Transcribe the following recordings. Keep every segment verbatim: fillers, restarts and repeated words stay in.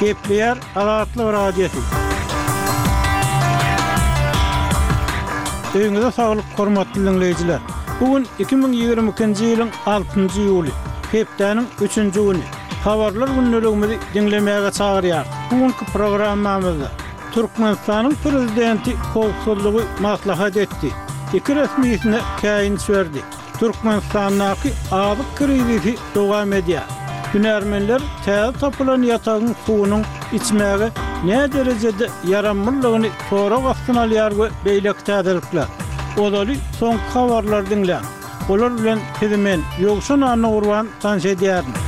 Gepleýär Azatlyk Radiosy. Öýüňize saglyk, hormatly diňleýjiler! Bu gün iki müň ýigrimi ikinji ýylyň altynjy iýuly, hepdäniň üçünji güni. Habarlar gündeligimizi diňlemäge çagyrýarys. Bu günki programmamyzda Türkmenistanyň Prezidenti howpsuzlygy maslahat etdi, iki resmisine käýinç berdi. Türkmenistandaky azyk krizisi dowam edýär. Hünärmenler täze tapylan ýatagyň suwunyň içmäge näderejede ýaramlydygyny sorag astyna alýar we beýleki täzelikler. Ozaly soňky habarlary diňläň. Olar bilen sizi men, Ýowşan Annagurban tanyş edýärin.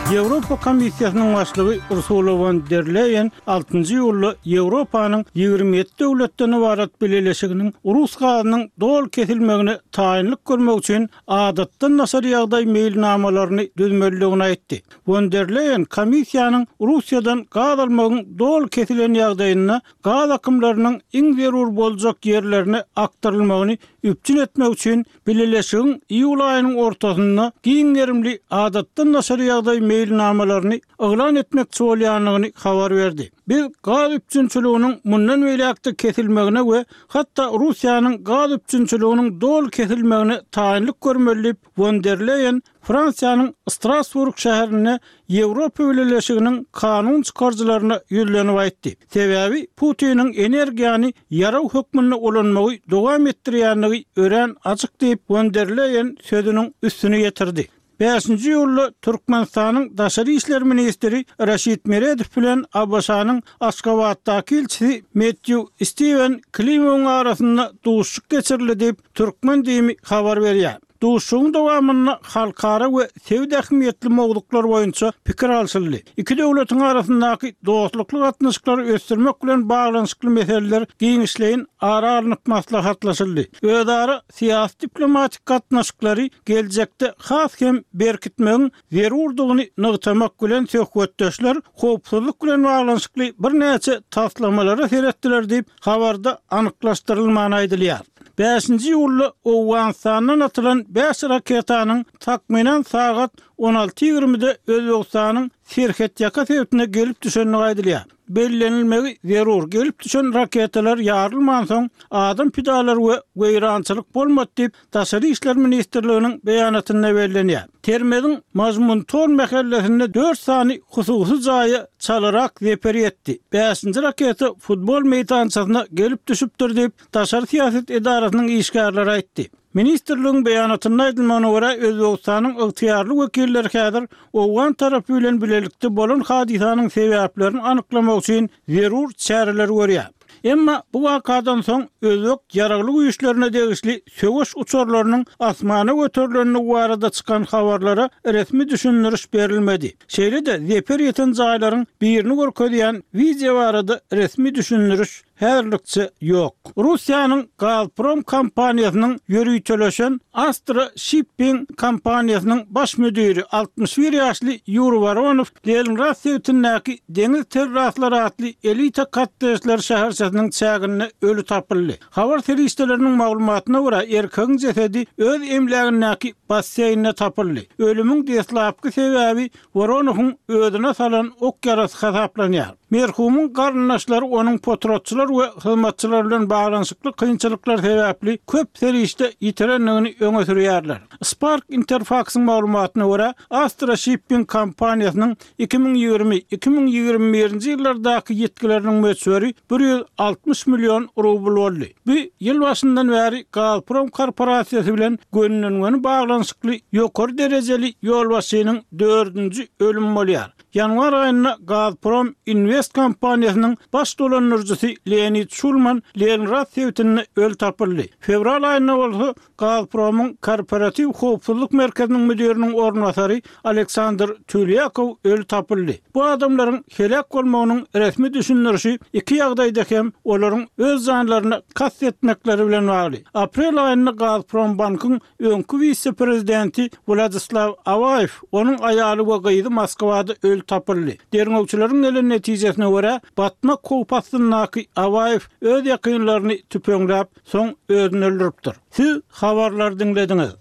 Ýewropa Komissiýasynyň başlygy Ursula won der Leýen altynjy iýulda Ýewropanyň ýigrimi ýedi döwletden ybarat bileleşiginiň rus gazynyň doly kesilmegine taýynlyk görmek üçin adatdan daşary ýagdaý meýilnamalaryny düzmelidigini aýtdy. Won der Leýen komissiýanyň Russiýadan gaz almagyň doly kesilen ýagdaýynda gaz akymlarynyň iň zerur boljak ýerlerine akdyrylmagyny üpjün etmek üçin bileleşigiň iýul aýynyň ortasynda giň gerimli adatdan daşary ýagdaý meýilnamalaryny yglan etmekçi bolýandygyny habar berdi. Biz gaz üpjünçiliginiň mundan beýläk-de kesilmegine we hatda Russiýanyň gaz üpjünçiliginiň doly kesilmegine taýynlyk görmeli diýip, Won der Leýen Fransiýanyň Strasburg şäherinde Ýewropa Bileleşiginiň kanun çykaryjylaryna ýüzlenip aýtdy. Sebäbi Putiniň energiýany ýarag hökmünde ulanmagy dowam etdirýändigi örän açyk diýip, Won der Leýen sözüniň üstüni ýetirdi. Bäşinji iýulda Türkmenistanyň daşary işler ministri Raşid Meredow bilen ABŞ-nyň Aşgabatdaky ilçisi Metýu Stiwen Klimowyň arasynda duşuşyk geçirildi diýip, Türkmen DIM-i habar berýär. Duşuşygyň dowamynda halkara we sebit ähmiýetli mowzuklar boýunça pikir alşyldy. Iki döwletiň arasyndaky dostlukly gatnaşyklary ösdürmek bilen baglanyşykly meseleler giňişleýin ara alnyp maslahatlaşyldy. Özara syýasy-diplomatik gatnaşyklary geljekde has hem berkitmegiň zerurdygyny nygtamak bilen söhbetdeşler howpsuzlyk bilen baglanyşykly birnäçe taslamalara seretdiler diýip, habarda anyklaşdyrylman aýdylýar. Bäşinji iýulda Owganystandan atylan bäş raketanyň takmynan sagat on alty ýigrimide Özbegistanyň serhetýaka sebitine gelip düşendigi aýdylýar. Bellenilmegi zerur, gelip düşen raketalar ýarylmansoň, adam pidalary we weýrançylyk bolmady diýip, Daşary işler ministrliginiň beýanatynda bellenýär. Termeziň Majmuntol mähellesinde dört sany hususy jaýa çalarak zeper ýetdi. Bäşinji raketa futbol meýdançasyna gelip düşüpdir diýip, daşary syýasat edarasynyň işgärleri aýtdy. Ministrligiň beýanatynda aýdylmagyna görä, Özbegistanyň ygtyýarly wekilleri häzir owgan tarapy bilen bilelikde bolan hadysanyň sebäplerini anyklamak üçin zerur çäreleri görýär. Emma bu wakadan soň özbek ýaragly güýçlerine degişli söweş uçarlarynyň asmana göterilendigi barada çykan habarlara resmi düşündiriş berilmedi. Şeýle-de zeper ýeten jaýlaryň birini görkezýän wideo barada resmi düşündiriş häzirlikçe ýok. Russiýanyň Gazprom kompaniýasynyň ýöriteleşen Astra Shipping kompaniýasynyň baş müdiri altmyş bir ýaşly Ýuri Woronow Leningrad sebitindäki Deňiz terraslary atly elita kottejler şäherçesiniň çäginde öli tapyldy. Habar serişdeleriniň maglumatyna görä, erkegiň jesedi öz emlägindäki basseýnde tapyldy. Ölümiň deslapky sebäbi Woronowyň özüne salan ok ýarasy hasaplanýar. Merhumyň garyndaşlary onuň potratçylar we hyzmatçylar bilen baglanyşykly kynçylyklar sebäpli köp serişde ýitirendigini öňe sürýärler. Spark Interfaksyň maglumatyna görä, Astra Shipping kompaniýasynyň iki müň ýigrimi, iki müň ýigrimi birinji ýyllardaky ýitgileriniň möçberi bir ýüz altmyş million rubl boldy. Bu ýyl başyndan bäri Gazprom korporasiýasy bilen gönüden-göni baglanyşykly ýokary derejeli ýolbaşçynyň dördünji ölümi bolýar. Ýanwar aýynda Gazprom Invest kompaniýasynyň baş dolandyryjysy Leonid Şulman Leningrad sebitinde öli tapyldy. Fewral aýynda bolsa Gazpromyň korporatiw howpsuzlyk merkeziniň müdiriniň orunbasary Aleksandr Tülýakow öli tapyldy. Bu adamlaryň heläk bolmagynyň resmi düşündirişi iki ýagdaýda hem olaryň öz janlaryna kast etmekleri bilen bagly. Aprel aýynda Gazprombankyň öňki wise-prezidenti Wladislaw Awaýew, onuň aýaly we gyzy Moskwada öli tapyldy. Derňewçileriň gelen netijesine görä, batmak howpy astyndaky Awaýew öz ýakynlaryny tüpeňläp, soň özüni öldüripdir. Siz habarlary diňlediňiz.